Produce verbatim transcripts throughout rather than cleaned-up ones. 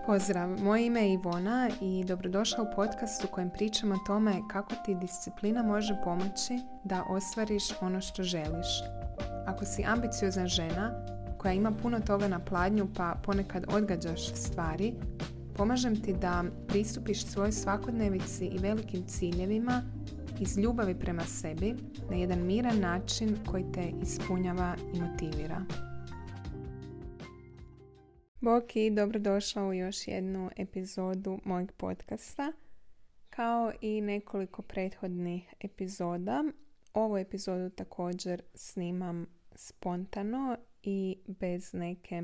Pozdrav, moje ime je Ivona i dobrodošla u podcast u kojem pričam o tome kako ti disciplina može pomoći da ostvariš ono što želiš. Ako si ambiciozna žena koja ima puno toga na pladnju pa ponekad odgađaš stvari, pomažem ti da pristupiš svojoj svakodnevici i velikim ciljevima iz ljubavi prema sebi na jedan miran način koji te ispunjava i motivira. Bok i dobrodošla u još jednu epizodu mojeg podcasta. Kao i nekoliko prethodnih epizoda, ovu epizodu također snimam spontano i bez neke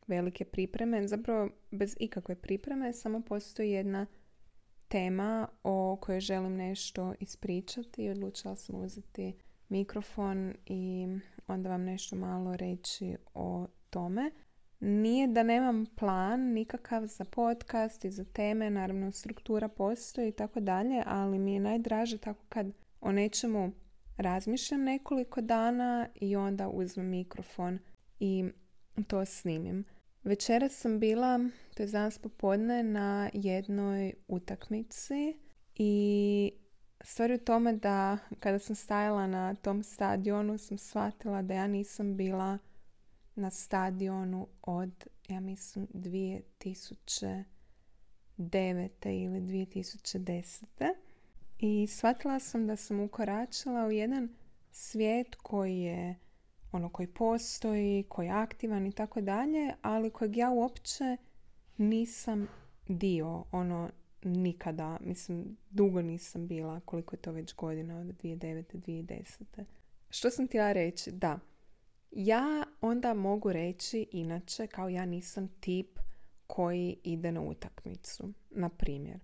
velike pripreme, zapravo bez ikakve pripreme, samo postoji jedna tema o kojoj želim nešto ispričati i odlučila sam uzeti mikrofon i onda vam nešto malo reći o tome. Nije da nemam plan nikakav za podcast i za teme, naravno struktura postoji i tako dalje, ali mi je najdraže tako kad o nečemu razmišljam nekoliko dana i onda uzmem mikrofon i to snimim. Večeras sam bila, to je danas popodne, na jednoj utakmici i stvar je u tome da kada sam stajala na tom stadionu sam shvatila da ja nisam bila na stadionu od, ja mislim, dvije tisuće devete ili dvije tisuće desete. I shvatila sam da sam ukoračila u jedan svijet koji je ono koji postoji, koji je aktivan i tako dalje, ali kojeg ja uopće nisam dio, ono nikada, mislim, dugo nisam bila, koliko je to već godina, od dvije tisuće devete do dvije tisuće desete. Što sam htjela reći? Da, ja onda mogu reći inače kao ja nisam tip koji ide na utakmicu, na primjer.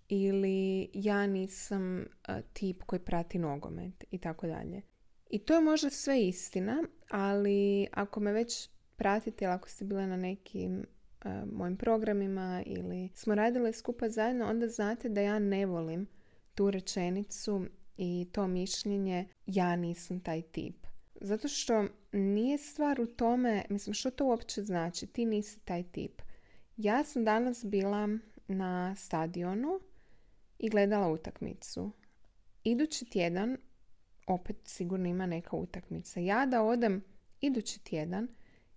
Ili ja nisam uh, tip koji prati nogomet i tako dalje. I to je možda sve istina, ali ako me već pratite ili ako ste bile na nekim uh, mojim programima ili smo radile skupa zajedno, onda znate da ja ne volim tu rečenicu i to mišljenje ja nisam taj tip. Zato što nije stvar u tome, mislim, što to uopće znači, ti nisi taj tip. Ja sam danas bila na stadionu i gledala utakmicu. Idući tjedan opet sigurno ima neka utakmica. Ja da odem idući tjedan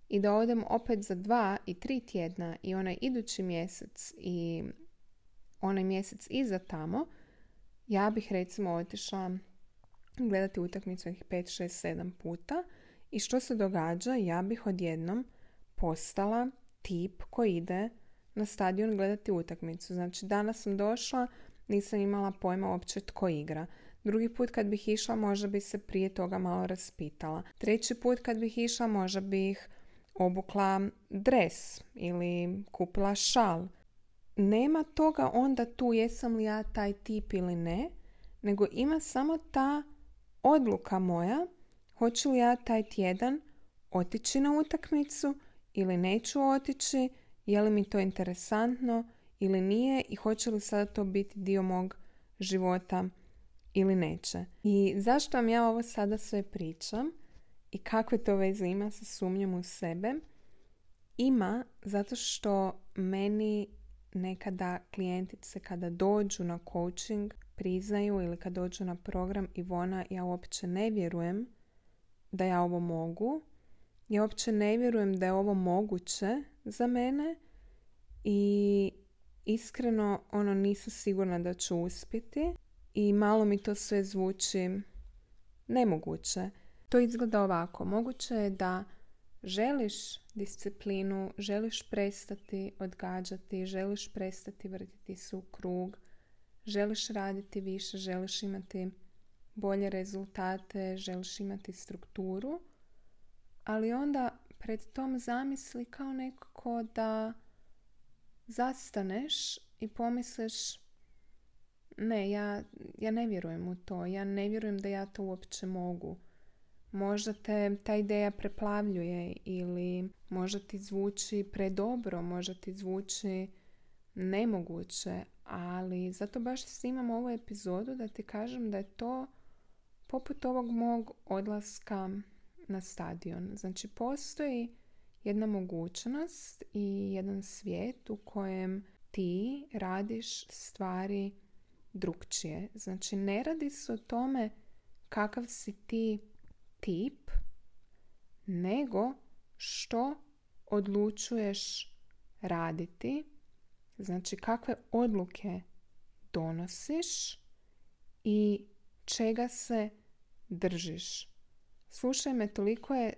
i da odem opet za dva i tri tjedna i onaj idući mjesec i onaj mjesec iza tamo, ja bih recimo otišla gledati utakmicu pet, šest, sedam puta i što se događa? Ja bih odjednom postala tip koji ide na stadion gledati utakmicu. Znači danas sam došla, nisam imala pojma uopće tko igra. Drugi put kad bih išla možda bi se prije toga malo raspitala. Treći put kad bih išla možda bih obukla dres ili kupila šal. Nema toga onda tu jesam li ja taj tip ili ne, nego ima samo ta odluka moja, hoću li ja taj tjedan otići na utakmicu ili neću otići, je li mi to interesantno ili nije i hoće li sada to biti dio mog života ili neće. I zašto vam ja ovo sada sve pričam i kakve to veze ima sa sumnjom u sebe? Ima zato što meni nekada klijentice kada dođu na coaching priznaju ili kad dođu na program Ivona, ja uopće ne vjerujem da ja ovo mogu. Ja uopće ne vjerujem da je ovo moguće za mene i iskreno ono nisam sigurna da ću uspjeti i malo mi to sve zvuči nemoguće. To izgleda ovako. Moguće je da želiš disciplinu, želiš prestati odgađati, želiš prestati vrtiti se u krug, želiš raditi više, želiš imati bolje rezultate, želiš imati strukturu, ali onda pred tom zamisli kao nekako da zastaneš i pomisliš ne, ja, ja ne vjerujem u to, ja ne vjerujem da ja to uopće mogu. Možda te ta ideja preplavljuje ili možda ti zvuči predobro, možda ti zvuči nemoguće, ali zato baš snimam ovu epizodu da ti kažem da je to poput ovog mog odlaska na stadion. Znači postoji jedna mogućnost i jedan svijet u kojem ti radiš stvari drukčije. Znači, ne radi se o tome kakav si ti tip, nego što odlučuješ raditi. Znači, kakve odluke donosiš i čega se držiš. Slušaj me, toliko je,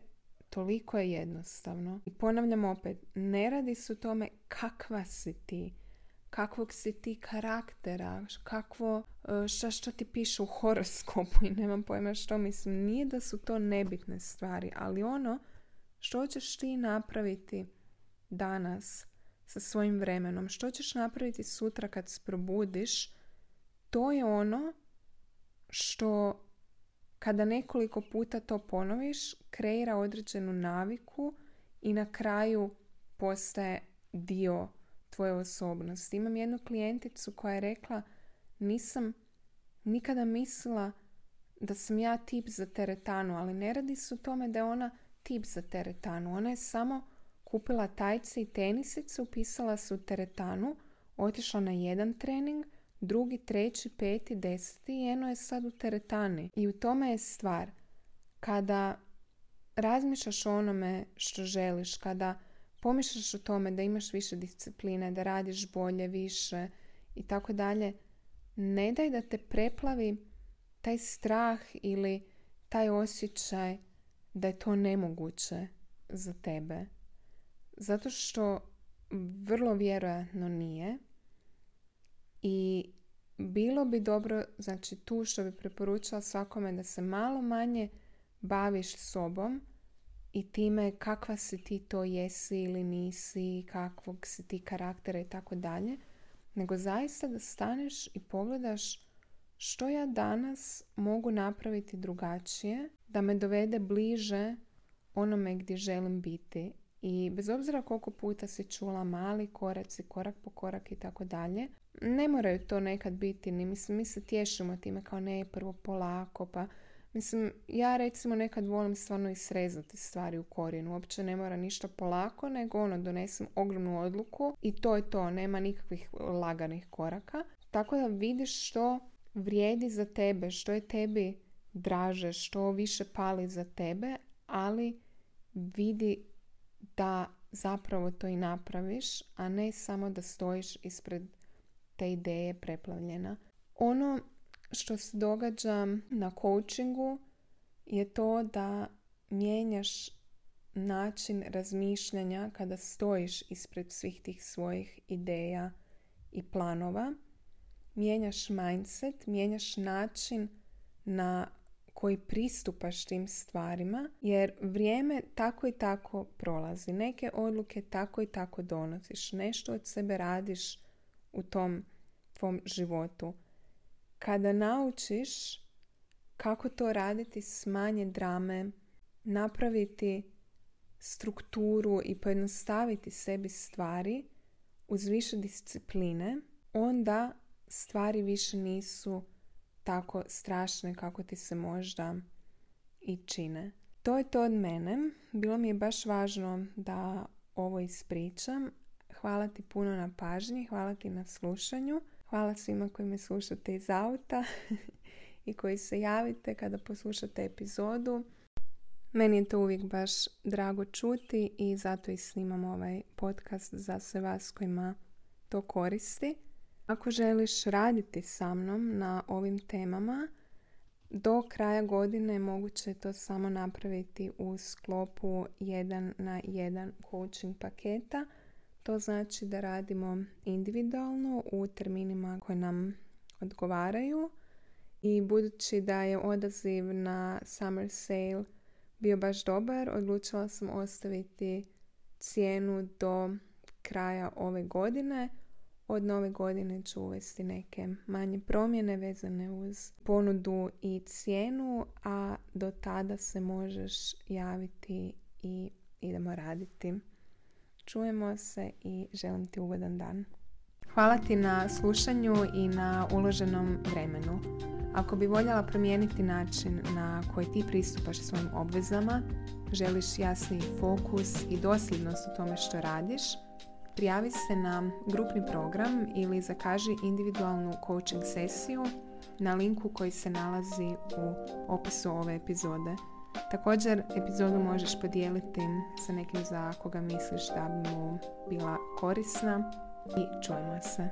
toliko je jednostavno. I ponavljam opet, ne radi se o tome kakva si ti, kakvog si ti karaktera, kakvo, šta što ti piše u horoskopu i nemam pojma što. Mislim, nije da su to nebitne stvari, ali ono što ćeš ti napraviti danas sa svojim vremenom, što ćeš napraviti sutra kad se probudiš, to je ono što kada nekoliko puta to ponoviš, kreira određenu naviku i na kraju postaje dio tvoje osobnosti. Imam jednu klijenticu koja je rekla, nisam nikada mislila da sam ja tip za teretanu, ali ne radi se o tome da je ona tip za teretanu. Ona je samo kupila tajce i tenisice, upisala se u teretanu, otišla na jedan trening, drugi, treći, peti, deseti i eno je sad u teretani. I u tome je stvar. Kada razmišljaš o onome što želiš, kada pomišljaš o tome da imaš više discipline, da radiš bolje, više i tako dalje, ne daj da te preplavi taj strah ili taj osjećaj da je to nemoguće za tebe. Zato što vrlo vjerojatno nije. I bilo bi dobro, znači tu što bi preporučila svakome, da se malo manje baviš sobom i time kakva si ti to jesi ili nisi, kakvog si ti karaktera i tako dalje, nego zaista da staneš i pogledaš što ja danas mogu napraviti drugačije, da me dovede bliže onome gdje želim biti. I bez obzira koliko puta si čula mali koraci, korak po korak i tako dalje, ne moraju to nekad biti, ni mislim, mi se tješimo time kao ne, prvo polako, pa mislim, ja recimo nekad volim stvarno i srezati stvari u korijenu, uopće ne mora ništa polako, nego ono, donesem ogromnu odluku i to je to, nema nikakvih laganih koraka. Tako da vidiš što vrijedi za tebe, što je tebi draže, što više pali za tebe, ali vidi da zapravo to i napraviš, a ne samo da stojiš ispred te ideje preplavljena. Ono što se događa na coachingu je to da mijenjaš način razmišljanja kada stojiš ispred svih tih svojih ideja i planova. Mijenjaš mindset, mijenjaš način na koji pristupaš tim stvarima, jer vrijeme tako i tako prolazi. Neke odluke tako i tako donosiš. Nešto od sebe radiš u tom tvom životu. Kada naučiš kako to raditi s manje drame, napraviti strukturu i pojednostaviti sebi stvari uz više discipline, onda stvari više nisu tako strašne kako ti se možda i čine. To je to od mene. Bilo mi je baš važno da ovo ispričam. Hvala ti puno na pažnji, hvala ti na slušanju. Hvala svima koji me slušate iz auta i koji se javite kada poslušate epizodu. Meni je to uvijek baš drago čuti i zato i snimam ovaj podcast za sve vas kojima to koristi. Ako želiš raditi sa mnom na ovim temama, do kraja godine moguće je to samo napraviti u sklopu jedan na jedan coaching paketa. To znači da radimo individualno u terminima koji nam odgovaraju i budući da je odaziv na summer sale bio baš dobar, odlučila sam ostaviti cijenu do kraja ove godine. Od nove godine ću uvesti neke manje promjene vezane uz ponudu i cijenu, a do tada se možeš javiti i idemo raditi. Čujemo se i želim ti ugodan dan. Hvala ti na slušanju i na uloženom vremenu. Ako bi voljela promijeniti način na koji ti pristupaš svojim obvezama želiš jasniji fokus i dosljednost u tome što radiš, prijavi se na grupni program ili zakaži individualnu coaching sesiju na linku koji se nalazi u opisu ove epizode. Također, epizodu možeš podijeliti sa nekim za koga misliš da bi mu bila korisna i čujemo se.